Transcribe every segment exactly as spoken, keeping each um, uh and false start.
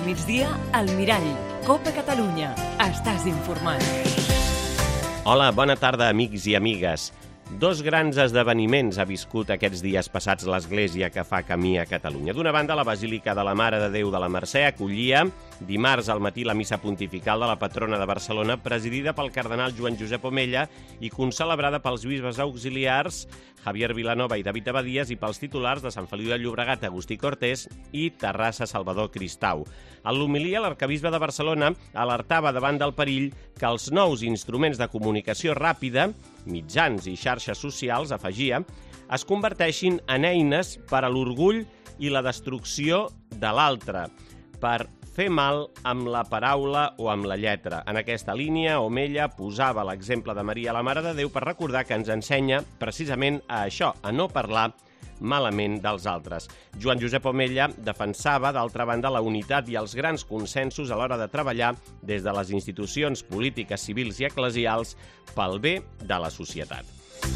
al migdia, al Mirall. Copa Catalunya. Estàs informat. Hola, bona tarda, amics i amigues. Dos grans esdeveniments ha viscut aquests dies passats l'Església que fa camí a Catalunya. D'una banda, la Basílica de la Mare de Déu de la Mercè acollia dimarts al matí la missa pontifical de la patrona de Barcelona, presidida pel cardenal Joan Josep Omella i concelebrada pels bisbes auxiliars Javier Vilanova i David Abadías i pels titulars de Sant Feliu de Llobregat, Agustí Cortés i Terrassa, Salvador Cristau. En l'homilia, l'arquebisbe de Barcelona alertava davant del perill que els nous instruments de comunicació ràpida, mitjans i xarxes socials, afegia, es converteixin en eines per a l'orgull i la destrucció de l'altre, per fer mal amb la paraula o amb la lletra. En aquesta línia, Omella posava l'exemple de Maria, la Mare de Déu, per recordar que ens ensenya precisament a això, a no parlar malament dels altres. Joan Josep Omella defensava, d'altra banda, la unitat i els grans consensos a l'hora de treballar des de les institucions polítiques, civils i eclesials pel bé de la societat.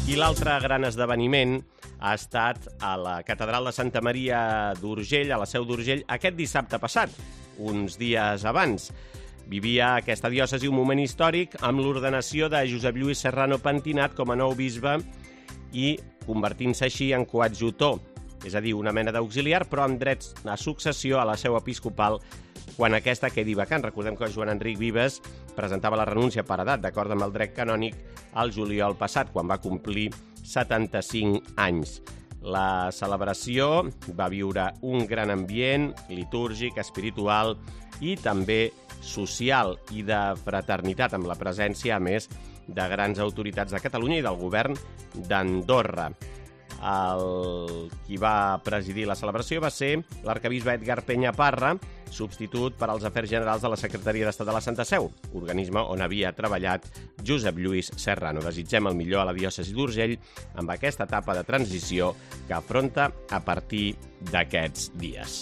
I l'altre gran esdeveniment ha estat a la Catedral de Santa Maria d'Urgell, a la Seu d'Urgell, aquest dissabte passat, uns dies abans. Vivia aquesta diòcesi un moment històric amb l'ordenació de Josep Lluís Serrano Pentinat com a nou bisbe i convertint-se així en coadjutor, és a dir, una mena d'auxiliar, però amb drets a successió a la seu episcopal quan aquesta quedi vacant. Recordem que Joan Enric Vives presentava la renúncia per edat, d'acord amb el dret canònic, al juliol passat, quan va complir setanta-cinc anys. La celebració va viure un gran ambient litúrgic, espiritual i també social i de fraternitat, amb la presència, a més, de grans autoritats de Catalunya i del govern d'Andorra. El qui va presidir la celebració va ser l'arquebisbe Edgar Peñaparra, substitut per als Afers Generals de la Secretaria d'Estat de la Santa Seu, organisme on havia treballat Josep Lluís Serrano. Desitgem el millor a la diòcesi d'Urgell amb aquesta etapa de transició que afronta a partir d'aquests dies.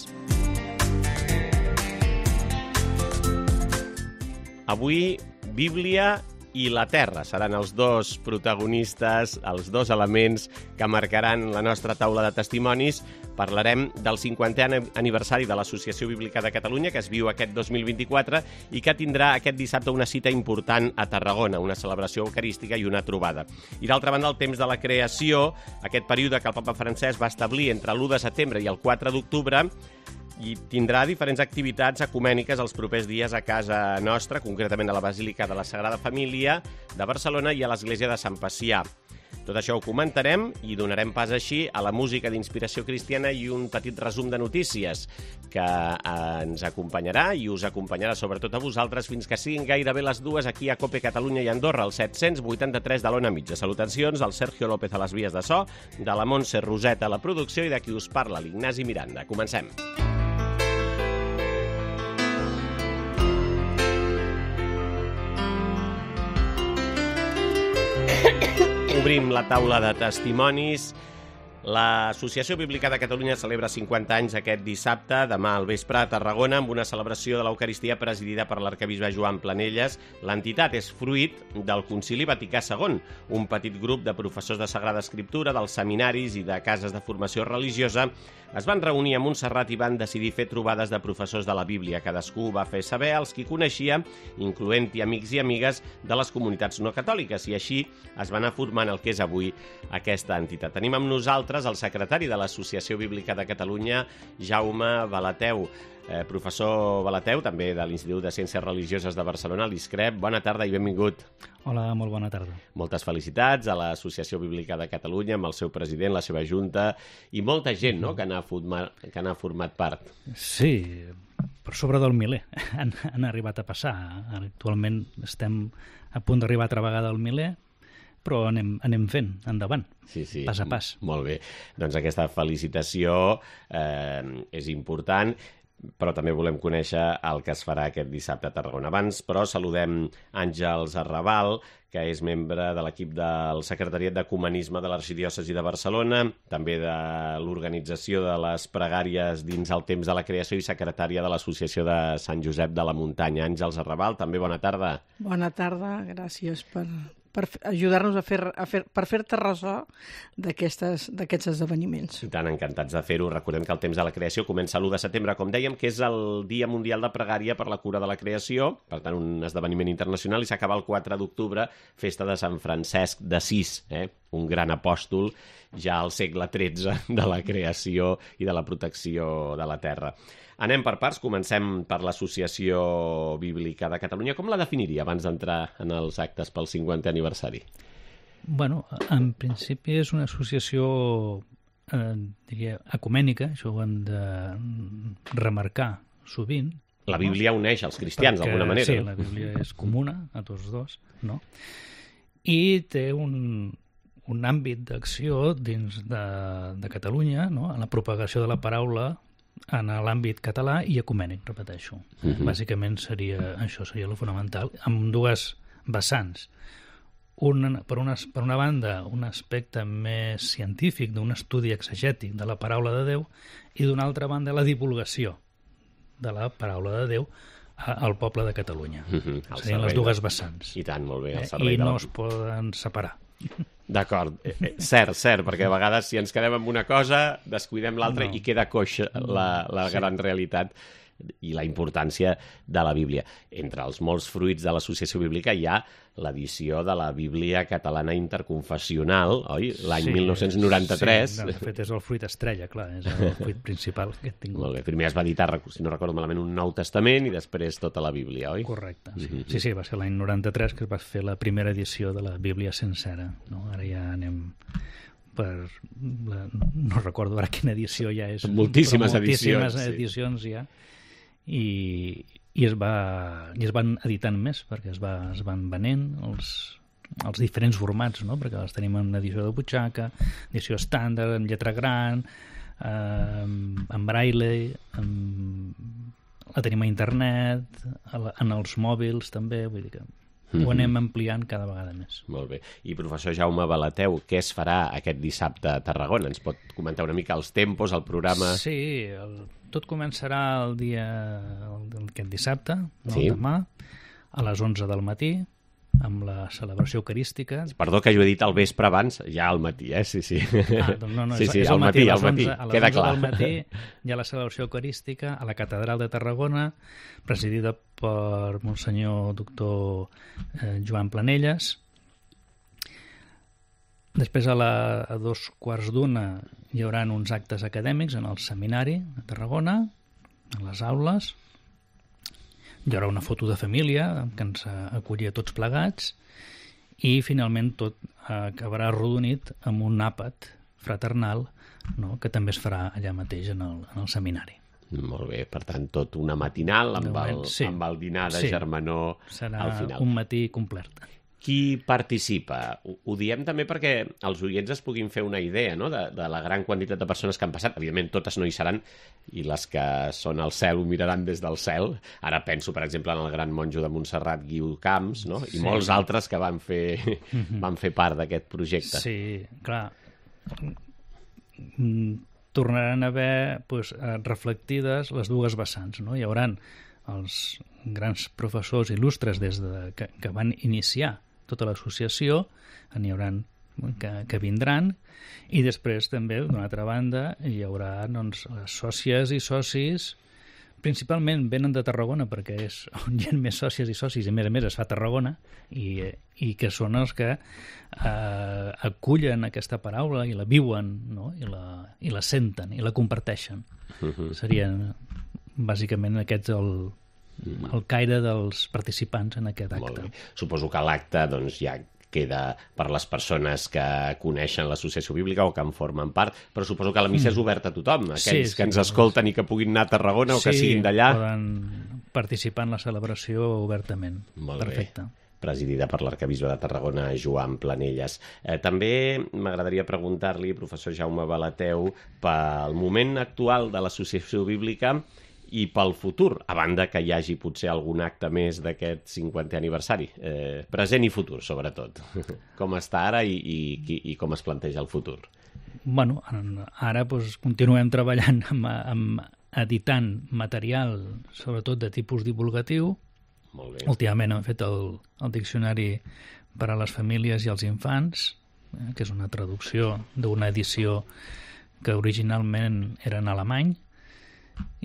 Avui, Bíblia i la Terra seran els dos protagonistes, els dos elements que marcaran la nostra taula de testimonis. Parlarem del cinquantè aniversari de l'Associació Bíblica de Catalunya, que es viu aquest dos mil vint-i-quatre i que tindrà aquest dissabte una cita important a Tarragona, una celebració eucarística i una trobada. I d'altra banda, el temps de la creació, aquest període que el papa Francesc va establir entre l'u de setembre i el quatre d'octubre, i tindrà diferents activitats ecumèniques els propers dies a casa nostra, concretament a la Basílica de la Sagrada Família de Barcelona i a l'Església de Sant Pacià. Tot això ho comentarem i donarem pas així a la música d'inspiració cristiana i un petit resum de notícies que ens acompanyarà i us acompanyarà sobretot a vosaltres fins que siguin gairebé les dues aquí a Cope Catalunya i Andorra, al set-cents vuitanta-tres de l'Ona Mitja. Salutacions al Sergio López a les vies de so, de la Montse Roset a la producció i de qui us parla, l'Ignasi Miranda. Comencem. Obrim la taula de testimonis. L'Associació Bíblica de Catalunya celebra cinquanta anys aquest dissabte, demà al vespre a Tarragona, amb una celebració de l'Eucaristia presidida per l'arquebisbe Joan Planelles. L'entitat és fruit del Concili Vaticà segon, un petit grup de professors de Sagrada Escriptura, dels seminaris i de cases de formació religiosa es van reunir a Montserrat i van decidir fer trobades de professors de la Bíblia. Cadascú va fer saber als qui coneixia, incloent-hi amics i amigues de les comunitats no catòliques, i així es va anar formant el que és avui aquesta entitat. Tenim amb nosaltres el secretari de l'Associació Bíblica de Catalunya, Jaume Balateu. Eh, professor Balateu, també de l'Institut de Ciències Religioses de Barcelona, l'ISCREP. Bona tarda i benvingut. Hola, molt bona tarda. Moltes felicitats a l'Associació Bíblica de Catalunya, amb el seu president, la seva junta, i molta gent, no?, que n'ha format, que n'ha format part. Sí, per sobre del miler han, han arribat a passar. Actualment estem a punt d'arribar altra vegada al miler, però anem, anem fent, endavant, sí, sí, pas a pas. Molt bé. Doncs aquesta felicitació eh, és important, però també volem conèixer el que es farà aquest dissabte a Tarragona. Abans, però, saludem Àngels Arrabal, que és membre de l'equip del Secretariat d'Ecumenisme de l'Arxidiòcesi de Barcelona, també de l'organització de les pregàries dins el temps de la creació i secretària de l'Associació de Sant Josep de la Muntanya. Àngels Arrabal, també bona tarda. Bona tarda, gràcies per, per ajudar-nos a fer, a fer, per fer-te ressò d'aquests esdeveniments. I tant, encantats de fer-ho. Recordem que el temps de la creació comença l'u de setembre, com dèiem, que és el Dia Mundial de Pregària per la Cura de la Creació, per tant, un esdeveniment internacional, i s'acaba el quatre d'octubre, festa de Sant Francesc d'Assís, eh? un gran apòstol ja al segle tretze de la creació i de la protecció de la terra. Anem per parts, comencem per l'Associació Bíblica de Catalunya. Com la definiria abans d'entrar en els actes pel cinquantè aniversari? Bueno, en principi és una associació, eh, diria, ecumènica, això ho hem de remarcar sovint. La Bíblia uneix els cristians, d'alguna manera. Sí, la Bíblia és comuna a tots dos, no? I té un, un àmbit d'acció dins de, de Catalunya, no? En la propagació de la paraula en l'àmbit català i ecumènic, repeteixo. Uh-huh. Bàsicament seria això, seria el fonamental, amb dues vessants. Un, per, una, per una banda, un aspecte més científic, d'un estudi exegètic de la paraula de Déu, i d'una altra banda, la divulgació de la paraula de Déu a, al poble de Catalunya. Uh-huh. Serien les dues vessants. I tant, molt bé. Eh? I no es poden separar. D'acord, eh, cert, cert, perquè a vegades si ens quedem amb una cosa, descuidem l'altra no. i queda coixa la, la sí. gran realitat i la importància de la Bíblia. Entre els molts fruits de l'Associació Bíblica hi ha l'edició de la Bíblia Catalana Interconfessional, oi? L'any sí, mil nou-cents noranta-tres. Sí, de fet és el fruit estrella, clar, és el fruit principal que he tingut. Molt bé, primer es va editar, si no recordo malament, un Nou Testament i després tota la Bíblia, oi? Correcte, sí, mm-hmm. sí, sí, va ser l'any noranta-tres que es va fer la primera edició de la Bíblia sencera, no? Ara ja anem per... La... no recordo ara quina edició ja és. Moltíssimes, moltíssimes edicions. edicions sí. ja. I, i, es va, i es van editant més perquè es, va, es van venent els, els diferents formats, no? Perquè les tenim en edició de butxaca, edició estàndard, en lletra gran, eh, en braille, en, la tenim a internet, a la, en els mòbils també, vull dir que ho anem ampliant cada vegada més. Molt bé. I professor Jaume Balateu, què es farà aquest dissabte a Tarragona? Ens pot comentar una mica els tempos, el programa? Sí, el, tot començarà el dia el, aquest dissabte, no, sí. demà, a les onze del matí, amb la celebració eucarística. Perdó que jo he dit al vespre abans, ja al matí, eh? Sí, sí. Ah, doncs no, no, sí, és, sí, és al matí, al matí, a les queda onze clar. del matí hi ha la celebració eucarística a la Catedral de Tarragona, presidida per Monsenyor doctor eh, Joan Planelles. Després a, la, a dos quarts d'una hi haurà uns actes acadèmics en el seminari a Tarragona, a les aules. Hi haurà una foto de família que ens acollia tots plegats i finalment tot acabarà arrodonit amb un àpat fraternal, no?, que també es farà allà mateix en el, en el seminari. Molt bé, per tant, tot una matinal amb, moment, el, sí. amb el dinar de sí. germanor Serà al final. Un matí complet. Qui participa? Ho, ho diem també perquè els oients es puguin fer una idea, no?, de, de la gran quantitat de persones que han passat. Evidentment, totes no hi seran, i les que són al cel ho miraran des del cel. Ara penso, per exemple, en el gran monjo de Montserrat, Guiu Camps, no?, i sí. molts altres que van fer, mm-hmm. van fer part d'aquest projecte. Sí, clar. Tornaran a haver pues, reflectides les dues vessants, no? Hi haurà els grans professors il·lustres des de, que, que van iniciar tota l'associació, n'hi haurà que, que vindran, i després també, d'una altra banda, hi haurà doncs, les sòcies i socis, principalment venen de Tarragona, perquè és on hi ha més sòcies i socis, i a més a més es fa a Tarragona, i, i que són els que eh, acullen aquesta paraula i la viuen, no? I, la, i la senten, i la comparteixen. Uh-huh. Serien bàsicament aquests el, el caire dels participants en aquest acte. Suposo que l'acte doncs, ja queda per les persones que coneixen l'Associació Bíblica o que en formen part, però suposo que la missa mm. és oberta a tothom, aquells sí, sí, que ens escolten i que puguin anar a Tarragona sí, o que siguin d'allà. Sí, poden participar en la celebració obertament. Molt Perfecte. Bé. Presidida per l'arcabisbe de Tarragona, Joan Planelles. Eh, també m'agradaria preguntar-li, professor Jaume Balateu, pel moment actual de l'Associació Bíblica i pel futur, a banda que hi hagi potser algun acte més d'aquest cinquantè aniversari, eh, present i futur, sobretot. Com està ara i, i, i com es planteja el futur? Bueno, ara doncs, continuem treballant amb, amb editant material, sobretot de tipus divulgatiu. Molt bé. Últimament hem fet el, el diccionari per a les famílies i els infants, eh, que és una traducció d'una edició que originalment era en alemany,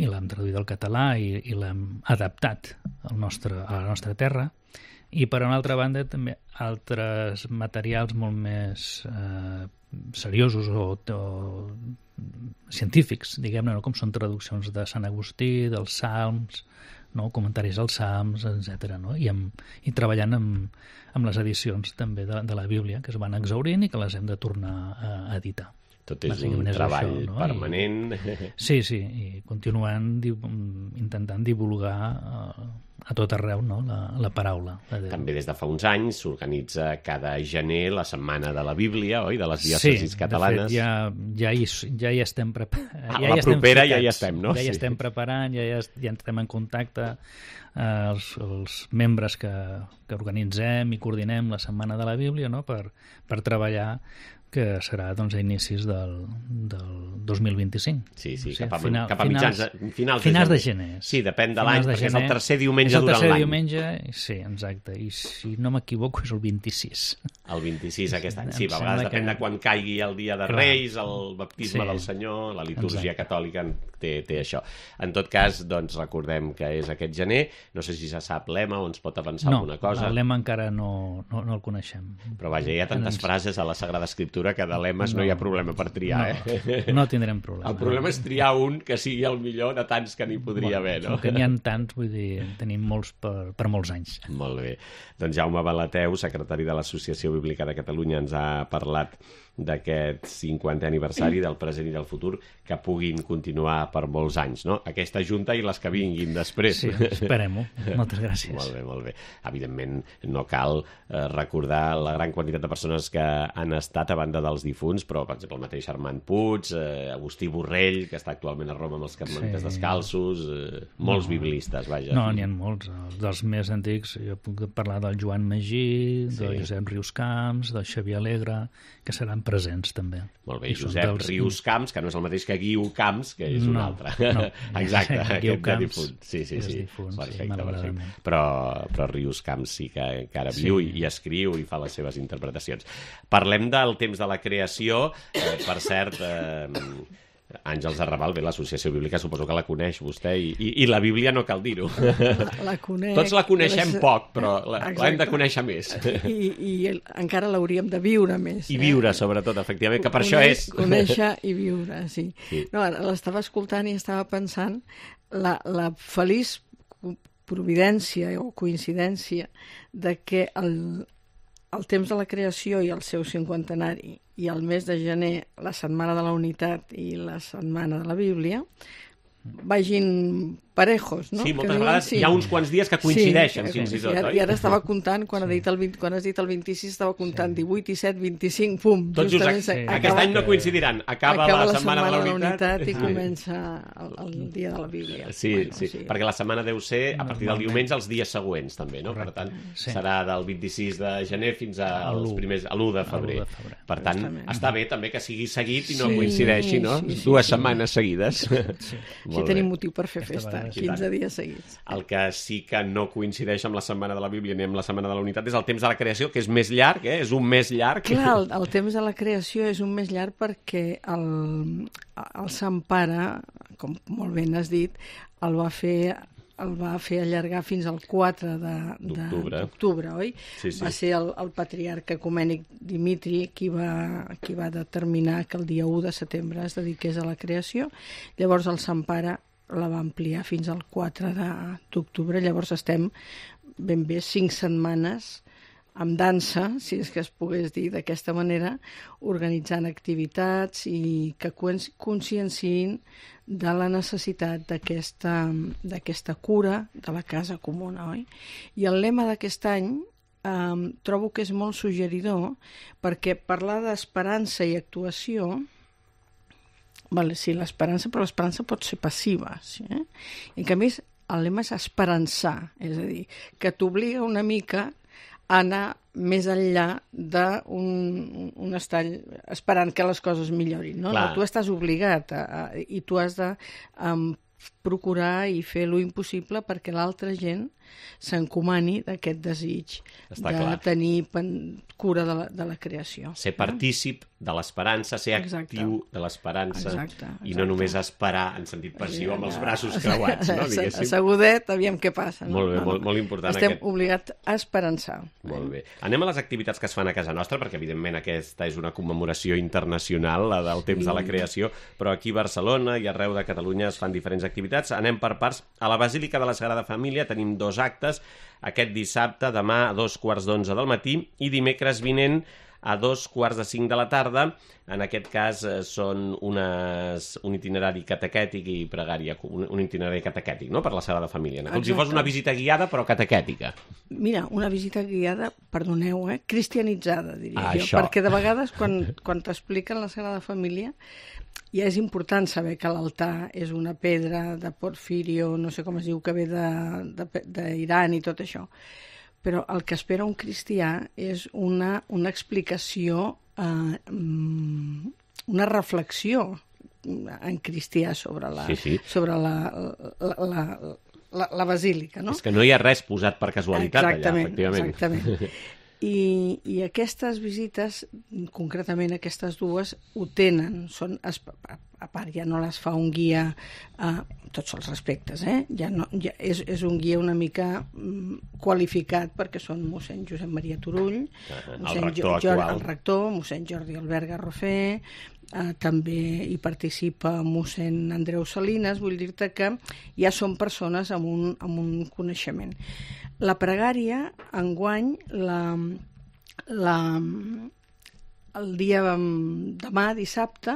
i l'hem traduït al català i, i l'hem adaptat al nostre, a la nostra terra. I per una altra banda també altres materials molt més eh, seriosos o, o científics, diguem-ne, no? Com són traduccions de Sant Agustí, dels Salms, no? Comentaris als Salms, etcètera. No? I, amb, i treballant amb, amb les edicions també de, de la Bíblia, que es van exhaurint i que les hem de tornar a, a editar. Tot és un treball això, no? permanent. I, sí, sí, i continuant di, intentant divulgar uh, a tot arreu, no? la, la paraula de Déu. També des de fa uns anys s'organitza cada gener la Setmana de la Bíblia, oi? De les diòcesis sí, catalanes. Sí, de fet, ja, ja, hi, ja hi estem preparant. Ah, ja la hi propera estem ja hi estem, no? Ja hi sí. estem preparant, ja, ja, ja estem en contacte eh, els, els membres que, que organitzem i coordinem la Setmana de la Bíblia, no? per, per treballar, que serà doncs, a inicis del, del dos mil vint-i-cinc. Sí, sí, o sigui, cap a, final, cap a mitjans, finals, finals, finals de, de gener. Sí, depèn de l'any, de perquè gener, és el tercer diumenge durant l'any. És el tercer diumenge, sí, exacte. I si no m'equivoco és el vint-i-sis. El vint-i-sis aquest any, sí, Em a vegades sembla depèn que- de quan caigui el dia de Clar. Reis, el baptisme Sí. del Senyor, la litúrgia Exacte. catòlica té, té això. En tot cas, doncs, recordem que és aquest gener, no sé si se sap l'ema o ens pot avançar No, alguna cosa, el lema encara no, no, no el coneixem. però vaja, hi ha tantes Ens- frases a la Sagrada Escriptura que de lemes no, No. hi ha problema per triar, no, eh? no tindrem problema. El problema és triar un que sigui el millor de tants que n'hi podria haver, no? Com que n'hi ha tants, vull dir, tenim molts per, per molts anys. Molt bé. Doncs Jaume Balateu, secretari de l'Associació Bíblica de Catalunya, ens ha parlat d'aquest cinquantè aniversari del present i del futur que puguin continuar per molts anys, no? Aquesta junta i les que vinguin després. Sí, esperem-ho. Moltes gràcies. Molt bé, molt bé. Evidentment, no cal eh, recordar la gran quantitat de persones que han estat a banda dels difunts, però, per exemple, el mateix Armand Puig, eh, Agustí Borrell, que està actualment a Roma amb els Carmelites Sí. Descalços, eh, molts No. biblistes, vaja. No, n'hi ha molts. Els dels més antics, jo puc parlar del Joan Magí, Sí. del Josep Rius Camps, del Xavier Alegre, que seran presents també. Molt bé, I són Josep dels- Rius Camps, que no és el mateix que Guiu Camps, que és un No, altre. no. Exacte, Guiu aquest de Camps difunt. Sí, sí, és sí. difunt, sí, perfecte, malauradament. perfecte. Però, però Rius Camps sí que encara Sí. viu i, i escriu i fa les seves interpretacions. Parlem del temps de la creació. Eh, per cert, eh, Àngels Arrabal, bé, l'Associació Bíblica suposo que la coneix vostè i, i, i la Bíblia no cal dir-ho. La, la conec. Tots la coneixem les- poc, però la- Exacte. l'hem de conèixer més. I, i el, encara l'hauríem de viure més. I eh? viure, sobretot, efectivament, que per això Coneix- és... Conèixer i viure, sí. Sí. No, l'estava escoltant i estava pensant la, la feliç co- providència o coincidència de que el, el temps de la creació i el seu cinquantenari i el mes de gener, la Setmana de la Unitat i la Setmana de la Bíblia, vagin parejos, no? Sí, Que moltes diuen, vegades hi ha uns quants dies que coincideixen, sí, fins i sí, tot, ara- oi? I ara estava comptant, quan, ha dit el vint, quan has dit el vint-i-sis, estava comptant divuit, disset, vint-i-cinc, pum. Tots just, justament sí. s'acaba- Aquest any no coincidiran. Acaba, acaba la Setmana de la Unitat. i comença el, el dia de la Bíblia. Sí, Bueno, sí, perquè la setmana deu ser a partir del Normalment. diumenge els dies següents, també, no? Per tant, Sí. serà del vint-i-sis de gener fins A als l'u. primers, a l'u de febrer. A l'u de febrer. Per tant, Justament. està bé també que sigui seguit i no Sí, coincideixi, no? sí, sí, Dues sí. setmanes seguides. Sí, Molt tenim bé. motiu per fer Aquesta festa, vegada sí. quinze dies seguits. El que sí que no coincideix amb la Setmana de la Bíblia ni amb la Setmana de la Unitat és el temps de la creació, que és més llarg, eh? És un mes llarg. Clar, el, el temps de la creació és un més llarg perquè el, el Sant Pare, com molt ben has dit, el va fer el va fer allargar fins al quatre de- de- D'octubre. d'octubre, oi? Sí, sí. Va ser el, el patriarca ecumènic Dimitri qui va, qui va determinar que el dia u de setembre es dediqués a la creació. Llavors el Sant Pare la va ampliar fins al quatre de- d'octubre. Llavors estem ben bé cinc setmanes amb dansa, si és que es pogués dir d'aquesta manera, organitzant activitats i que cons- conscienciïn de la necessitat d'aquesta d'aquesta cura de la casa comuna, oi? I el lema d'aquest any eh, trobo que és molt suggeridor perquè parlar d'esperança i actuació, vale, sí, l'esperança, però l'esperança pot ser passiva, sí, eh? En canvi, el lema és esperançar, és a dir, que t'obliga una mica a anar més enllà d'un un estall esperant que les coses millorin, no? Clar. No, tu estàs obligat a, a, i tu has de um, procurar i fer lo impossible perquè l'altra gent s'encomani d'aquest desig Està de clar. tenir pen- cura de la, de la creació. Ser partícip de l'esperança, ser Exacte. actiu de l'esperança Exacte, i no exacte. només esperar en sentit passiu amb els braços creuats, no? Diguéssim. Assegudet, aviam què passa. No? Molt bé, No, no. molt, molt important Estem aquest. obligats a esperançar. Molt bé. Anem a les activitats que es fan a casa nostra, perquè evidentment aquesta és una commemoració internacional, la del temps de la creació, però aquí a Barcelona i arreu de Catalunya es fan diferents activitats. Anem per parts. A la Basílica de la Sagrada Família tenim dos actes, aquest dissabte, demà a dos quarts d'onze del matí i dimecres vinent a dos quarts de cinc de la tarda. En aquest cas eh, són unes, un itinerari catequètic i pregària, un, un itinerari catequètic, no?, per la Sagrada Família. Com si Exacte. fos una visita guiada, però catequètica. Mira, una visita guiada, perdoneu, eh? cristianitzada, diria Ah, jo, això. perquè de vegades quan, quan t'expliquen la Sagrada Família ja és important saber que l'altar és una pedra de Porfirio, no sé com es diu, que ve d'Iran i tot això. Però el que espera un cristià és una, una explicació, eh, una reflexió en cristià sobre la, Sí, sí. sobre la, la, la, la, la basílica, no? És que no hi ha res posat per casualitat Exactament, allà, efectivament. Exactament. I, I aquestes visites, concretament aquestes dues, ho tenen. Són, a part, ja no les fa un guia a tots els respectes, eh? Ja no, ja és, és un guia una mica mm, qualificat, perquè són mossèn Josep Maria Turull, el mossèn rector Jo- actual. el rector, mossèn Jordi Albert Garrofer, eh, també hi participa mossèn Andreu Salinas. Vull dir-te que ja són persones amb un, amb un coneixement. La pregària, enguany, la, la, el dia demà, dissabte,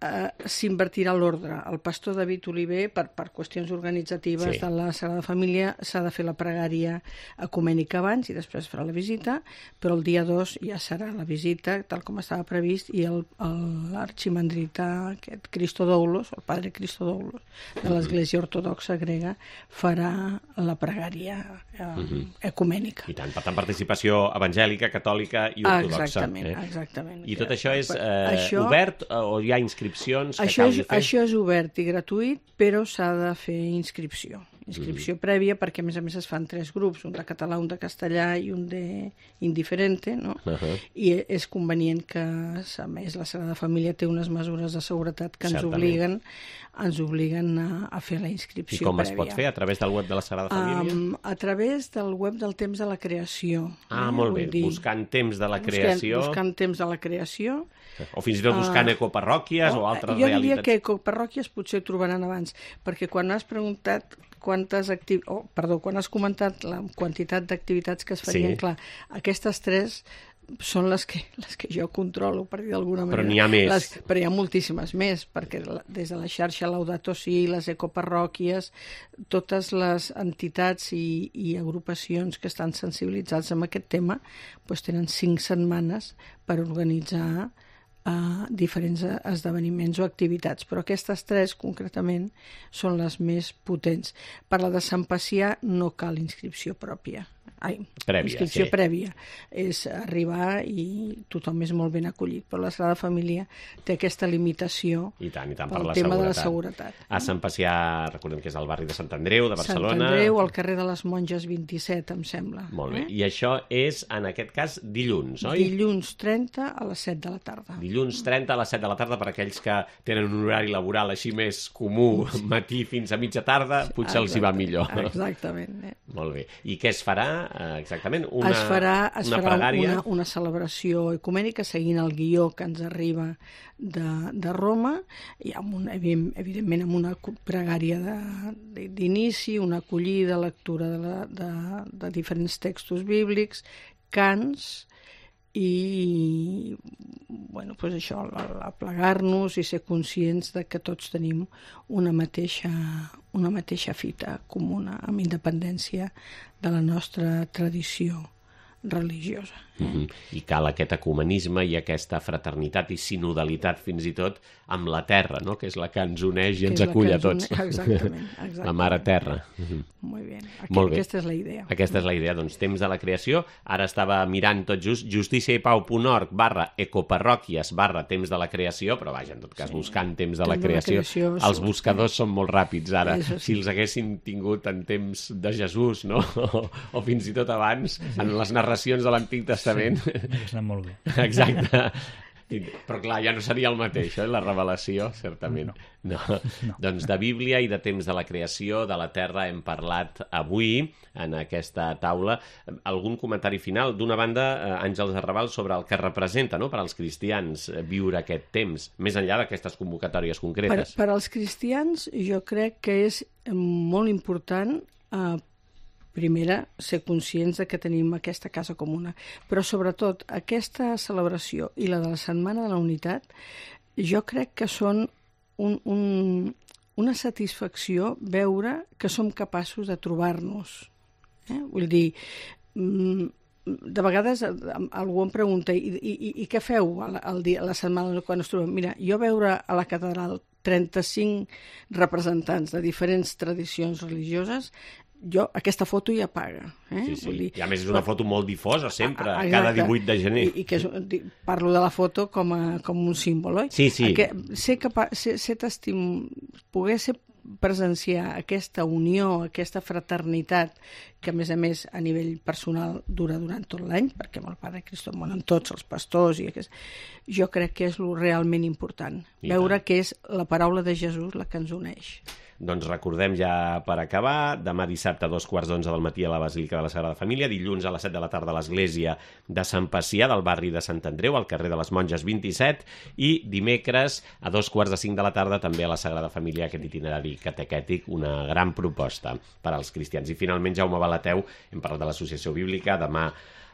eh, s'invertirà l'ordre. El pastor David Oliver, per, per qüestions organitzatives Sí. de la Sagrada Família, s'ha de fer la pregària ecumènica abans i després farà la visita, però el dia dos ja serà la visita, tal com estava previst, i el- el- l'arximandrita, aquest Cristodoulos, el padre Cristodoulos, de l'Església Ortodoxa grega, farà la pregària eh, ecumènica. I tant, per tant, participació evangèlica, catòlica i ortodoxa. Exactament, eh? exactament. I tot això és eh, Això- obert eh, o hi ha inscripcions que Això és, calgui fer? això és obert i gratuït, però s'ha de fer inscripció. Inscripció prèvia, perquè a més a més es fan tres grups, un de català, un de castellà i un de indiferente, no? Uh-huh. I és convenient que, a més, la Sagrada Família té unes mesures de seguretat que ens Certament. obliguen, ens obliguen a, a fer la inscripció I com prèvia. es pot fer? A través del web de la Sagrada Família? Um, a través del web del Temps de la Creació. ah, eh? molt bé. Vull dir, Buscant temps de la buscant- creació, Buscant temps de la creació. o fins i tot buscant Ah, ecoparròquies o altres jo diria realitats. que ecoparròquies potser ho trobaran abans, perquè quan has preguntat quantes activ... oh, perdó, quan has comentat la quantitat d'activitats que es farien, Sí. clar, aquestes tres són les que, les que jo controlo, per dir d'alguna manera. Però n'hi ha més. Les, però hi ha moltíssimes més, perquè la, des de la xarxa Laudato Si, les ecoparròquies, totes les entitats i, i agrupacions que estan sensibilitzats amb aquest tema, doncs tenen cinc setmanes per organitzar a diferents esdeveniments o activitats, però aquestes tres concretament són les més potents. Per la de Sant Pacià no cal inscripció pròpia. Ai, Prèvia, inscripció sí. prèvia. És arribar i tothom és molt ben acollit, però la Sagrada Família té aquesta limitació I tant, i tant, per pel la tema seguretat. de la seguretat. A Sant Pacià, recordem que és al barri de Sant Andreu, de Barcelona. Sant Andreu, al carrer de les Monges vint-i-set, em sembla. Molt bé. Eh? I això és, en aquest cas, dilluns, oi? Dilluns trenta a les set de la tarda. Dilluns trenta a les set de la tarda, per aquells que tenen un horari laboral així més comú, matí fins a mitja tarda, potser els hi va millor. Exactament. Eh? Molt bé. I què es farà eh, exactament? Una, es farà, es una farà pregària? una, una celebració ecumènica seguint el guió que ens arriba de, de Roma, i amb una, evidentment amb una pregària de- de- d'inici, una acollida, lectura de, la, de, de diferents textos bíblics, cants i bueno, pues això, aplegar-nos i ser conscients de que tots tenim una mateixa, una mateixa fita comuna, amb independència de la nostra tradició religiosa. Mm-hmm. I cal aquest ecumenisme i aquesta fraternitat i sinodalitat fins i tot amb la terra, no? Que és la que ens uneix i ens acull a tots. Exactament, exactament. La mare terra. Mm-hmm. Molt bé. Aquest, Molt bé. Aquesta és la idea. Aquesta és la idea, doncs, temps de la creació. Ara estava mirant tot just justicia i pau punt org barra ecoparròquies barra temps de la creació, però vaja, en tot cas, sí. buscant temps de la Temps creació, de la creació, els buscadors són molt ràpids ara. Eso sí. Si els haguessin tingut en temps de Jesús, no? O, o fins i tot abans, en les narracions de l'Antic Testament. Sí, m'hagués anat molt bé. Exacte. Però clar, ja no seria el mateix, eh? La revelació, certament. No. No. No. Doncs de Bíblia i de temps de la creació, de la Terra, hem parlat avui en aquesta taula. Algun comentari final? D'una banda, Àngels Arrabal, sobre el que representa, no?, per als cristians viure aquest temps, més enllà d'aquestes convocatòries concretes. Per, per als cristians, jo crec que és molt important eh, primera, ser conscients de que tenim aquesta casa comuna. Però, sobretot, aquesta celebració i la de la Setmana de la Unitat, jo crec que són un, un, una satisfacció veure que som capaços de trobar-nos. Eh? Vull dir, de vegades algú em pregunta i, i, i què feu el dia, la setmana quan es trobem? Mira, jo veure a la catedral trenta-cinc representants de diferents tradicions religioses, jo, aquesta foto ja paga. Eh? Sí, sí. Vull dir, I a més és una foto molt difosa sempre, a, a, cada divuit de gener. I, i que és, parlo de la foto com, a, com un símbol, oi? Sí, sí. Que, ser capaç, ser, ser testim... poder ser presenciar aquesta unió, aquesta fraternitat, que a més a més a nivell personal dura durant tot l'any, perquè amb el Pare Cristo monen tots els pastors, i aquest... jo crec que és el realment important. I veure tant. Que és la paraula de Jesús la que ens uneix. Doncs recordem ja per acabar, demà dissabte a dos quarts d'onze del matí a la Basílica de la Sagrada Família, dilluns a les set de la tarda a l'església de Sant Pacià del barri de Sant Andreu, al carrer de les Monges vint-i-set, i dimecres a dos quarts de cinc de la tarda també a la Sagrada Família, aquest itinerari catequètic, una gran proposta per als cristians. I finalment, Jaume Balateu, hem parlat de l'Associació Bíblica, demà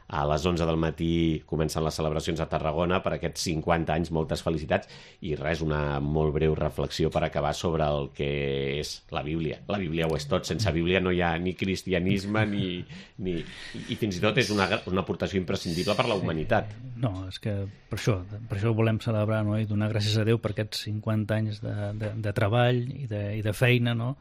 a les onze del matí comencen les celebracions a Tarragona per aquests cinquanta anys, moltes felicitats, i res, una molt breu reflexió per acabar sobre el que és la Bíblia. La Bíblia ho és tot, sense Bíblia no hi ha ni cristianisme, ni, ni... i fins i tot és una, una aportació imprescindible per la humanitat. No, és que per això, per això volem celebrar, no?, i donar gràcies a Déu per aquests cinquanta anys de, de, de treball i de, i de feina, no?,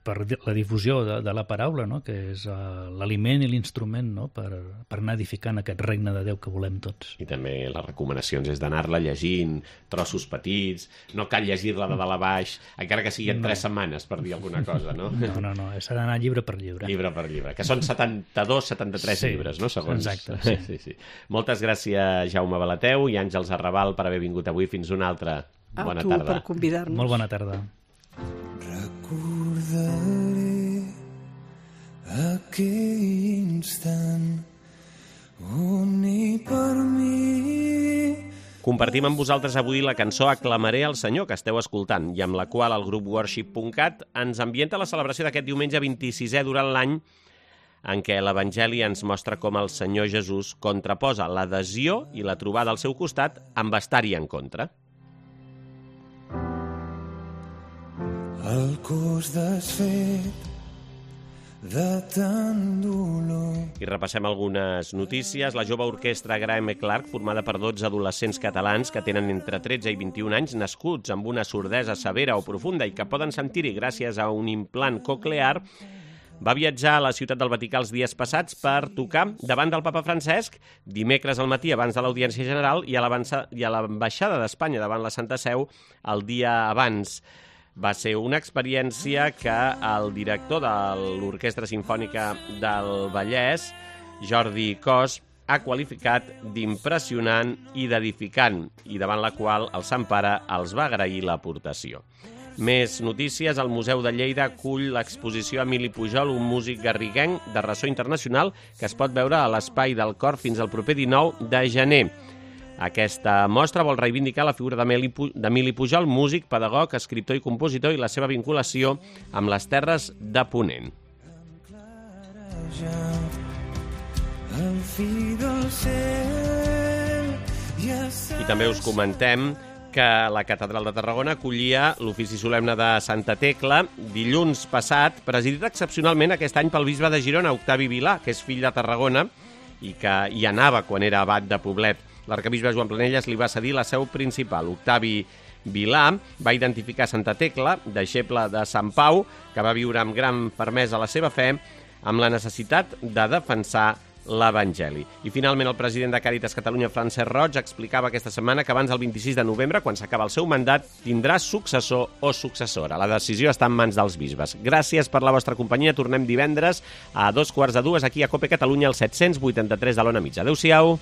per la difusió de, de la paraula, no?, que és uh, l'aliment i l'instrument, no?, per, per anar edificant aquest regne de Déu que volem tots. I també les recomanacions és d'anar-la llegint, trossos petits, no cal llegir-la de dalt a baix, encara que sigui en no. tres setmanes, per dir alguna cosa, no? No, no, no, s'ha d'anar llibre per llibre. Llibre per llibre, que són setanta-dos setanta-tres sí, llibres, no?, segons. Exacte, sí. sí, sí. Moltes gràcies, Jaume Balateu i Àngels Arrabal, per haver vingut avui. Fins una altra. Bona a tu tarda. Per convidar-nos. Molt bona tarda. Recordaré aquell instant on ni per mi. Compartim amb vosaltres avui la cançó Aclamaré al Senyor, que esteu escoltant, i amb la qual el grup worship punt cat ens ambienta la celebració d'aquest diumenge vint-i-sisè durant l'any, en què l'Evangeli ens mostra com el Senyor Jesús contraposa l'adhesió i la trobada al seu costat amb estar-hi en contra. El cos desfet de tant dolor. I repassem algunes notícies. La jove orquestra Graham Clark, formada per dotze adolescents catalans que tenen entre tretze i vint-i-un anys, nascuts amb una sordesa severa o profunda i que poden sentir-hi gràcies a un implant coclear, va viatjar a la ciutat del Vaticà els dies passats per tocar davant del papa Francesc, dimecres al matí abans de l'Audiència General i a l'ambaixada d'Espanya davant la Santa Seu el dia abans. Va ser una experiència que el director de l'Orquestra Simfònica del Vallès, Jordi Cos, ha qualificat d'impressionant i d'edificant, i davant la qual el Sant Pare els va agrair l'aportació. Més notícies. El Museu de Lleida acull l'exposició Emili Pujol, un músic garriguenc de ressò internacional, que es pot veure a l'Espai del Cor fins al proper dinou de gener. Aquesta mostra vol reivindicar la figura d'Emili Pujol, músic, pedagog, escriptor i compositor, i la seva vinculació amb les terres de Ponent. I també us comentem que la Catedral de Tarragona acollia l'ofici solemne de Santa Tecla dilluns passat, presidit excepcionalment aquest any pel bisbe de Girona, Octavi Vilà, que és fill de Tarragona, i que hi anava quan era abat de Poblet. L'arcabisbe Joan Planelles li va cedir la seu principal. Octavi Vilà va identificar Santa Tecla, deixeble de Sant Pau, que va viure amb gran fermesa la seva fe, amb la necessitat de defensar l'Evangeli. I finalment el president de Càritas Catalunya, Francesc Roig, explicava aquesta setmana que abans del vint-i-sis de novembre, quan s'acaba el seu mandat, tindrà successor o successora. La decisió està en mans dels bisbes. Gràcies per la vostra companyia. Tornem divendres a dos quarts de dues aquí a COPE Catalunya, al set-cents vuitanta-tres de l'Ona Mitja. Adéu-siau.